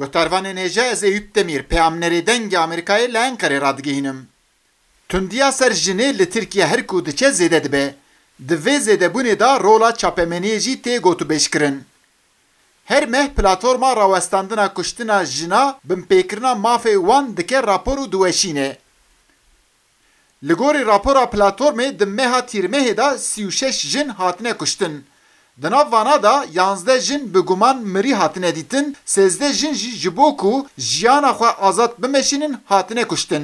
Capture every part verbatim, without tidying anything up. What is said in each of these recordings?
Guhdarvanên hêja, ez Eyüp Demir, peyamnerê Dengê Amerîkayê li Enqerê radigihînim. Tundiya ser jinê li Tirkiye her ku diçe zêde dibe. Di vê zêdebûnê de rola çapemeniyê jî tê gotûbêjkirin. Her meh platforma rawestandina kuştina jina binpêkirina mafê wan dike rapor û diweşîne. Li gorî rapora platformê di meha Tîrmehê de sî û şeş jin hatine kuştin. Di nav vana de yanzdeh jin bi guman mirî hatine dîtin, sêzdeh jin jî ji bo ku jiyana xwe azad bimeşînin hatine kuştin.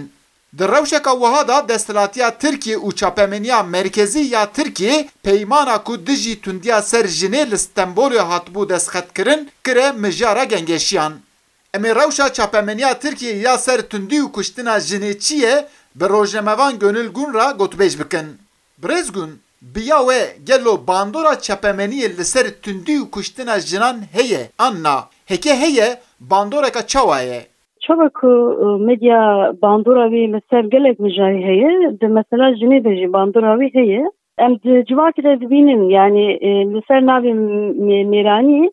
Di rewşeka wiha de desthilatiya Tirkiyê û çapemeniya merkezî ya Tirkiyê peymana ku dijî tundiya ser jinê li Stenbolê hatibû destxetkirin kire mijara gengeşiyan. Em ê rewşa çapemeniya Tirkiyê ya ser tundî û kuştina jinê çi ye, bi rojnamevan Gönül Gün re gotûbêj bikin. Birêz Gün, bi ya we gelo bandora çapemeniyê li ser tundî û kuştina jinan heye an na? Heke heye, bandoreka çawa ye? Çawa ku, e, medya bandora wî li ser gelek mijarê heye, di mesela jinê de jî bandora wî heye. Em di civakê de dibînin, yanî, e, li ser navê mê-, mêranî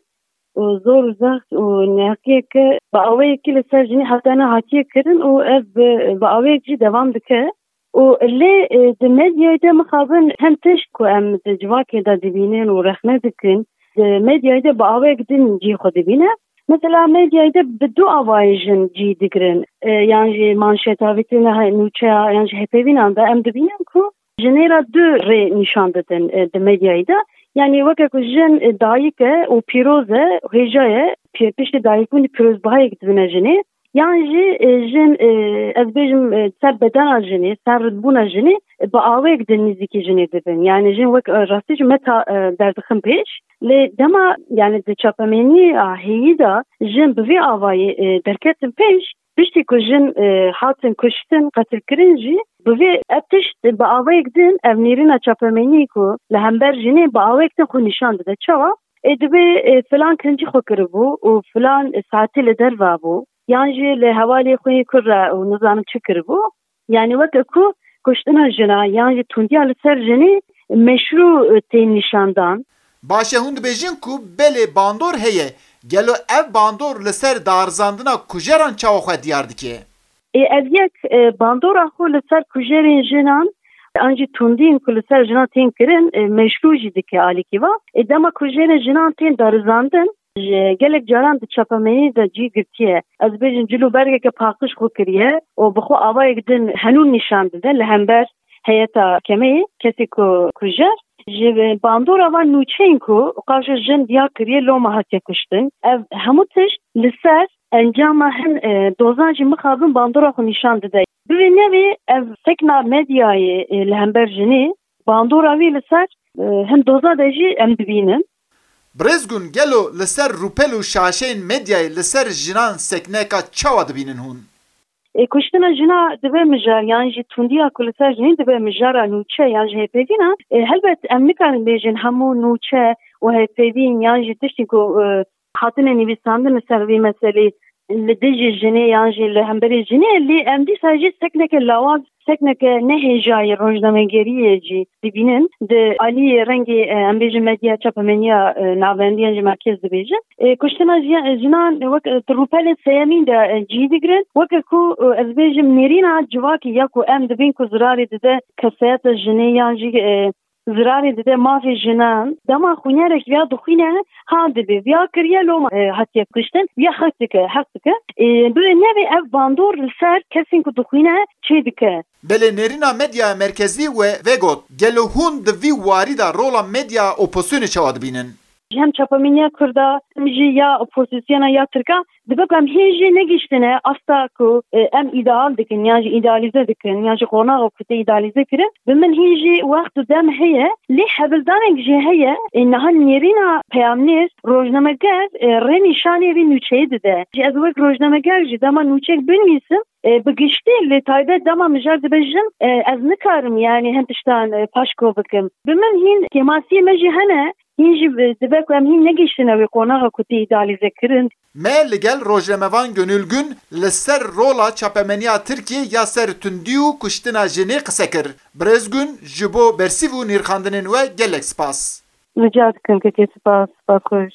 û zor û zext û neheqiyeke bi awayekî li ser jinê hate nehatiye kirin û ev bi, bi awayek jî devam dike. Û lê, e, di medyayê de mixabin hem tişt ku em di civakê de dibînin û rexne dikin, di medyayê de bi awayek din cihê xwe dibîne. Mesela medyayê de bi du avayê jin cî digirin. E, yan jî manşeta, vîtrîna he-, nûçeya, yan jî hevpeyvînan de em dibînin ku jinê re du rê nîşan didin, e, di medyayê de. Yanî weke ku jin, e, dayik e û pîroz e, hêja ye, pê-, piştî dayikbûnê pîrozbahiyek dibine jinê. Yan jî, e, jin, e, ez bêjim, e, ser bedena jinê, ser ridbûna jinê, e, bi awayek din nêzîkî jinê dibin. Yanî jin wek, e, rastî jî meta, e, derdixin pêş. Lê dema, yanî di çapemeniya heyî de jin bi vî avayî, e, derketin pêş, piştî ku jin, e, hatin kuştin, qetilkirin jî, bi vê ev tişt bi awayek din ev nêrîna çapemeniyê ku li hember jinê bi awayek din xwe nîşan dide. Çawa? Ê, dibê, ê, filan kincî xwe kiribû û filan saetê li derve bû, yan jî li hevalê xwe yê kur re û nizanim çi kiribû. Yanî weke ku kuştina jina yan jî tundiya li ser jinê meşrû, ê, tên nîşandan. Baş e, hûn dibêjin ku belê bandor heye. Gelo ev bandor li ser darizandina kujeran çawa xwe diyar dike? Ê, ev yek, e, bandora xwe li ser kujerên jinan, an jî tundiyên ku li ser jinan tên kirin, e, meşrû jî dike alîkî va. Ê, dema kujerên jinan tên darizandin, ji gelek caran di çapemeniyê de cî girtiye. Ez bêjim cil û bergeke paqij xwe kiriye û bi xwe avayek din henûn nîşan dide li hember heyeta kemeyê, kesê ku kujer. Ji bandora van nûçeyên ku qaşo jin diya kiriye loma hatiye kuştin. Ev hemû tişt li ser encama hin, e, dozan jî mixabin bandora xwe nîşan dide. Bi vê nevê ev sekna medyayê, e, li hember jinê bandora wî li ser, e, hin doza de jî em dibînin. Birêz Gûn, gelo li ser rûpel û şaşeyên medyayê li ser jinan sekneka çawa dibînin hûn? E, kuştina jina dibe mijar, yan jî tundiya ku li ser jinê dibe mijara nûçe yan jî hevpeyvîna. E, helbet em nikarin bêjin hemû nûçe û hevpeyvîn yan jî tiştên ku, e, hatine nivîsandin li ser vî meselê li dijî jinê yan jî li hemberî jinê, lê em dîsa jî sekneke lawaz, sekneke nehêjayî rojnamegeriyê jî dibînin. Di aliyê rengê, e, em bêjin medya çapemeniya, e, navendî yan jî merkez dibêjin. E, kuştina jiya-, jinan wek, e, di rûpelên seyemîn de, e, cî digirin. Weke ku, e, ez bêjim nêrîna civakî ya ku em dibîn ku zirarê dide kesayeta jinê yan jî, e, zirarê dide mafê jinan. Dema xwînerek viya dixwîne, ha dibê viya kiriye loma, e, hatiye kuştin. Viya heq dike, heq dike. E, bi nevê ev bandor li ser kesên ku dixwîne çê dike. Belê nêrîna medya merkezî we vegot. Gelo hûn di vî warî de rola medya opozisyonê çawa dibînin? Hem çapemeniya Kurda, hem jî ya opozisyona ya Tirka, dibe ku em hîn jî negihiştine asta ku, e, em îdeal dikin, yan jî îdealîze dikin, yan jî qonaxa ku tê îdealîze kirin. Bi min hîn jî wext û dem heye, lê hevildanek jî heye, e, niha nêrîna peyamnêr, rojnameger, e, rê nîşanê vî nûçeyê dide. Jî ez wek rojnameger jî dema nûçeyek binivîsim, e, bi giştî, lê taybet dema mijar dibêjim, e, ez nikarim, yanî hin tiştan, e, paşko bikim. Bi min hîn kêmasiyê me jî hene, hîn jî bi-, dibe ku em hîn negihiştine wê qonaxa ku tê îdealîze kirin. Me li gel rojnamevan Gönül Gün li ser rola çapemeniya Tirkiyê ya ser tundî û kuştina jinê qise kir. Birêz Gün, ji bo bersîv û nirxandinên we gelek spas. Rica dikim, kekê, spas, spas xweş.